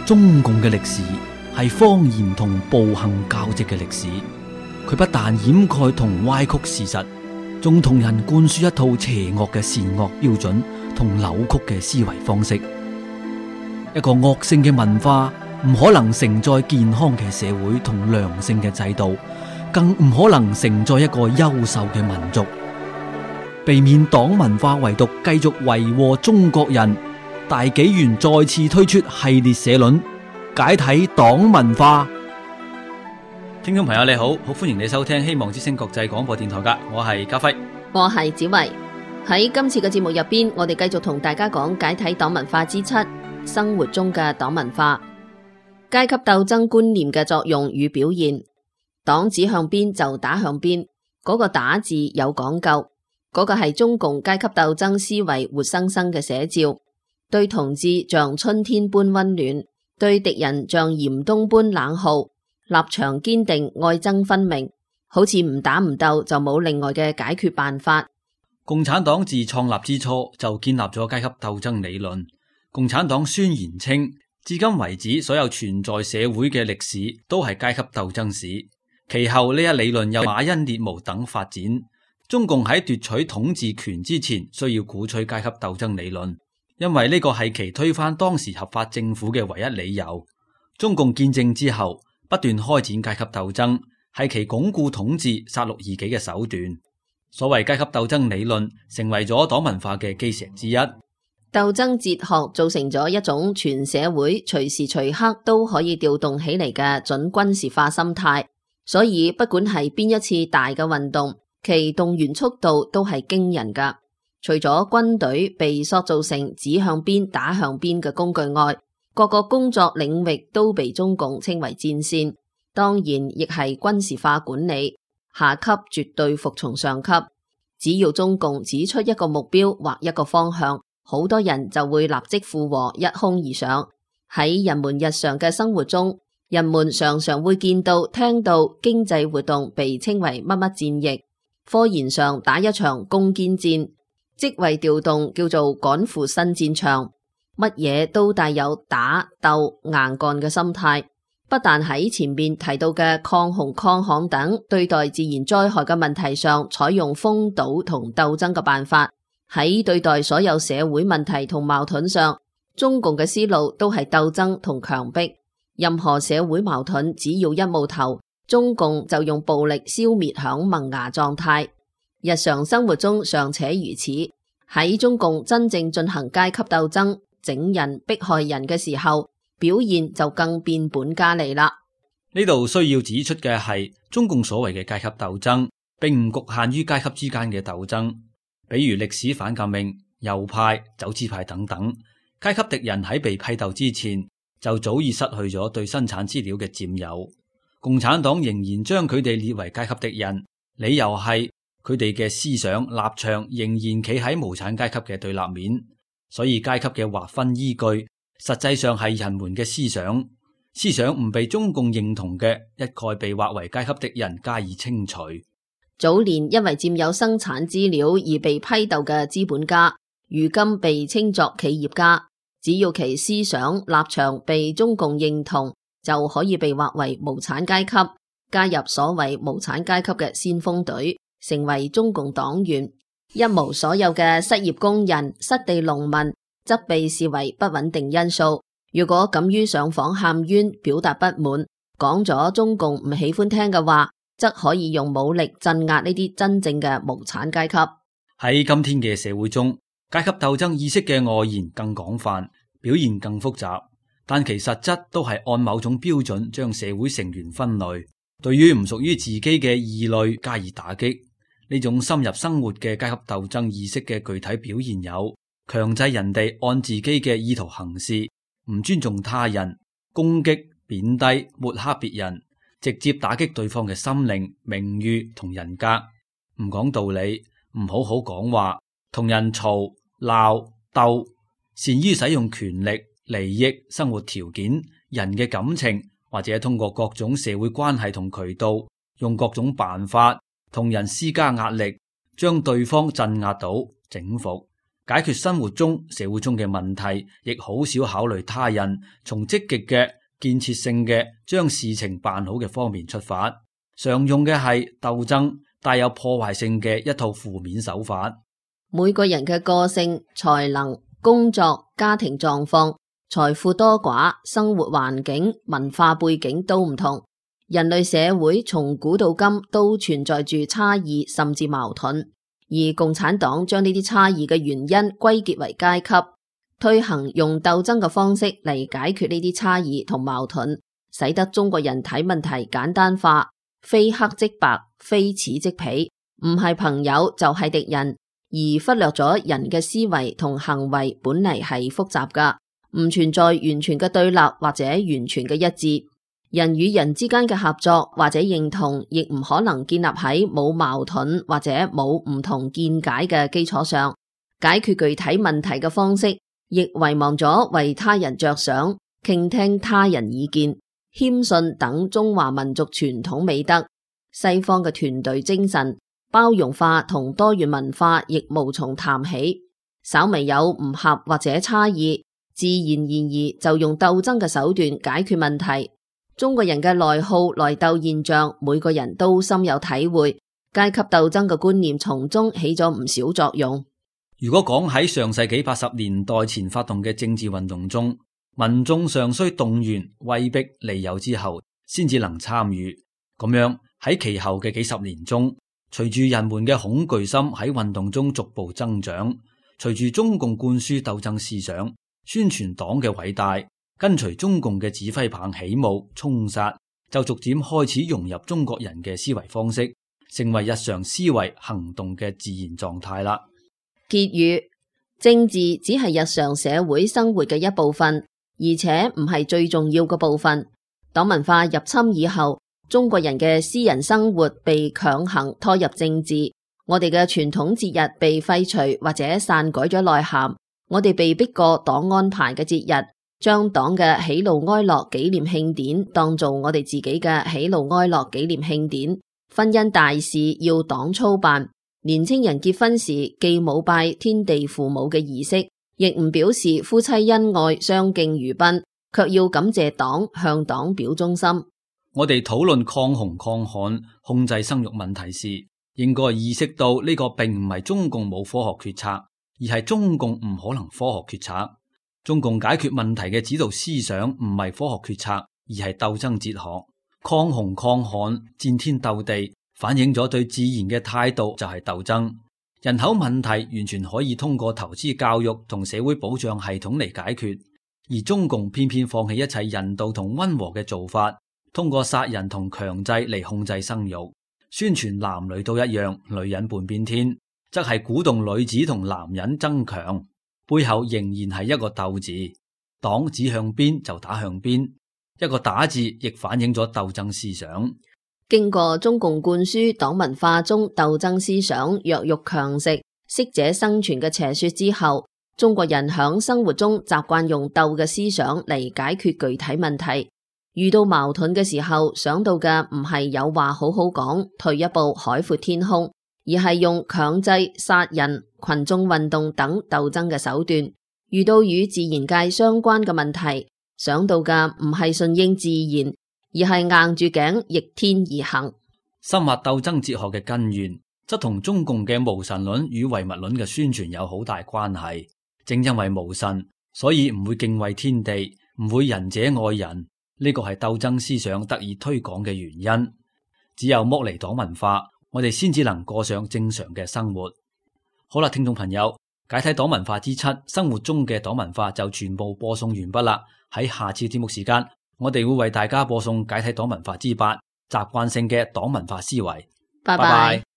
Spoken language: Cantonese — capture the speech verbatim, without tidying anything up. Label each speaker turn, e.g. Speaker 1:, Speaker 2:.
Speaker 1: 中共嘅歷史係謊言同暴行交織嘅歷史，佢不但掩蓋同歪曲事實，仲同人灌輸一套邪惡嘅善惡標準同扭曲嘅思維方式。一個惡性嘅文化唔可能承載健康嘅社會同良性嘅制度，更唔可能承載一個優秀嘅民族。避免黨文化遺毒繼續為禍中國人，大紀元再次推出系列社論，解體黨文化。聽眾朋友你好，好歡迎你收聽希望之聲國際廣播電台噶，我係家輝，
Speaker 2: 我係子維。喺今次嘅節目入邊，我哋繼續同大家講解體黨文化之七，生活中嘅黨文化，階級鬥爭觀念嘅作用與表現。黨指向邊就打向邊，嗰個打字有講究，嗰個係中共階級鬥爭思維活生生嘅寫照。對同志像春天般溫暖，對敵人像嚴冬般冷酷，立場堅定，愛憎分明，好似唔打唔鬥就冇另外嘅解決辦法。
Speaker 1: 共產黨自創立之初就建立咗階級鬥爭理論。共產黨宣言稱，至今為止所有存在社會嘅歷史都係階級鬥爭史。其後呢一理論由馬恩列孚等發展。中共喺奪取統治權之前，需要鼓吹階級鬥爭理論。因為呢個係其推翻當時合法政府嘅唯一理由。中共建政之後，不斷開展階級鬥爭，係其鞏固統治、殺戮異己嘅手段。所謂階級鬥爭理論，成為咗黨文化嘅基石之一。
Speaker 2: 鬥爭哲學造成咗一種全社會隨時隨刻都可以調動起嚟嘅準軍事化心態。所以不管係邊一次大嘅運動，其動員速度都係驚人噶。除咗軍隊被塑造成指向邊打向邊嘅工具外，各個工作領域都被中共稱為戰線，當然亦係軍事化管理。下級絕對服從上級，只要中共指出一個目標或一個方向，好多人就會立即附和，一哄而上。喺人們日常嘅生活中，人們常常會見到聽到經濟活動被稱為乜乜戰役，科研上打一場攻堅戰，職位調動叫做趕赴新戰場，乜嘢都帶有打鬥硬幹嘅心態。不但喺前面提到嘅抗洪抗旱等對待自然災害嘅問題上採用封堵同鬥爭嘅辦法，喺對待所有社會問題同矛盾上，中共嘅思路都係鬥爭同強迫。任何社會矛盾只要一冒頭，中共就用暴力消滅響萌芽狀態。日常生活中尚且如此，喺中共真正進行階級鬥爭、整人迫害人嘅時候，表現就更變本加厲啦。
Speaker 1: 呢度需要指出嘅係，中共所謂嘅階級鬥爭，並唔局限於階級之間嘅鬥爭，比如歷史反革命、右派、走資派等等。階級敵人喺被批鬥之前，就早已失去咗對生產資料嘅佔有。共產黨仍然將佢哋列為階級敵人，理由係佢哋嘅思想立場仍然企喺無產階級嘅對立面，所以階級嘅劃分依據實際上係人們嘅思想。思想唔被中共認同嘅，一概被劃為階級敵人加以清除。
Speaker 2: 早年因為佔有生產資料而被批鬥嘅資本家，如今被稱作企業家，只要其思想立場被中共認同，就可以被劃為無產階級，加入所謂無產階級嘅先鋒隊，成為中共黨員。一無所有嘅失業工人、失地農民則被視為不穩定因素。如果敢於上訪喊冤，表達不滿，講咗中共唔喜歡聽嘅話，則可以用武力鎮壓呢啲真正嘅無產階級。
Speaker 1: 喺今天嘅社會中，階級鬥爭意識嘅外延更廣泛，表現更複雜，但其實質都係按某種標準將社會成員分類，對於唔屬於自己嘅異類加以打擊。呢種深入生活嘅階級鬥爭意識嘅具體表現有：強制人哋按自己嘅意圖行事，唔尊重他人，攻擊、貶低、抹黑別人，直接打擊對方嘅心靈、名譽同人格，唔講道理，唔好好講話，同人嘈鬧鬥，善於使用權力、利益、生活條件、人嘅感情，或者通過各種社會關係同渠道，用各種辦法同人施加壓力，將對方鎮壓到整服。解決生活中、社會中嘅問題，亦好少考慮他人，從積極嘅、建設性嘅將事情辦好嘅方面出發，常用嘅係鬥爭，帶有破壞性嘅一套負面手法。
Speaker 2: 每個人嘅個性、才能、工作、家庭狀況、財富多寡、生活環境、文化背景都唔同，人類社會從古到今都存在住差異甚至矛盾。而共產黨將呢啲差異嘅原因歸結為階級，推行用鬥爭嘅方式嚟解決呢啲差異同矛盾，使得中國人睇問題簡單化，非黑即白，非此即彼，唔係朋友就係敵人，而忽略咗人嘅思維同行為本嚟係複雜噶，唔存在完全嘅對立或者完全嘅一致。人與人之間嘅合作或者認同，亦唔可能建立喺冇矛盾或者冇唔同見解嘅基礎上。解決具體問題嘅方式，亦遺忘咗為他人着想、傾聽他人意見、謙遜等中華民族傳統美德。西方嘅團隊精神、包容化同多元文化亦無從談起。稍微有唔合或者差異，自然而然就用鬥爭嘅手段解決問題。中國人嘅內耗內鬥現象，每個人都深有體會，階級鬥爭嘅觀念從中起咗唔少作用。
Speaker 1: 如果講喺上世紀八十年代前發動嘅政治運動中，民眾尚需動員、威逼利誘之後，先至能參與。咁樣喺其後嘅幾十年中，隨住人們嘅恐懼心喺運動中逐步增長，隨住中共灌輸鬥爭思想、宣傳黨嘅偉大，跟隨中共嘅指揮棒起舞衝殺，就逐漸開始融入中國人嘅思維方式，成為日常思維行動嘅自然狀態啦。
Speaker 2: 結語：政治只係日常社會生活嘅一部分，而且唔係最重要嘅部分。黨文化入侵以後，中國人嘅私人生活被強行拖入政治，我哋嘅傳統節日被廢除或者篡改咗內涵，我哋被逼過黨安排嘅節日，將黨嘅喜怒哀樂紀念慶典當做我哋自己嘅喜怒哀樂紀念慶典。婚姻大事要黨操辦，年青人結婚時既冇拜天地父母嘅儀式，亦唔表示夫妻恩愛相敬如賓，卻要感謝黨，向黨表忠心。
Speaker 1: 我哋討論抗洪抗旱、控制生育問題時，應該意識到呢個並唔係中共冇科學決策，而係中共唔可能科學決策。中共解決問題嘅指導思想唔係科學決策，而係鬥爭哲學。抗洪抗旱、戰天鬥地，反映咗對自然嘅態度就係鬥爭。人口問題完全可以通過投資教育同社會保障系統嚟解決，而中共偏偏放棄一切人道同溫和嘅做法，通過殺人同強制嚟控制生育，宣傳男女都一樣，女人半邊天，則係鼓動女子同男人爭強。背後仍然係一個鬥字，黨指向邊就打向邊，一個打字亦反映咗鬥爭思想。
Speaker 2: 經過中共灌輸黨文化中鬥爭思想、弱肉強食、適者生存嘅邪說之後，中國人響生活中習慣用鬥嘅思想嚟解決具體問題。遇到矛盾嘅時候，想到嘅唔係有話好好講，退一步海闊天空，而係用強制、殺人、群眾運動等鬥爭嘅手段。遇到與自然界相關嘅問題，想到嘅唔係順應自然，而係硬住頸逆天而行。
Speaker 1: 深挖鬥爭哲學嘅根源，則同中共嘅無神論與唯物論嘅宣傳有好大關係。正因為無神，所以唔會敬畏天地，唔會仁者愛人，呢個係鬥爭思想得以推廣嘅原因。只有剝離黨文化，我哋先至能過上正常嘅生活。好啦，聽眾朋友，解體黨文化之七，生活中嘅黨文化就全部播送完畢啦。喺下次節目時間，我哋會為大家播送解體黨文化之八，習慣性嘅黨文化思維。
Speaker 2: 拜拜。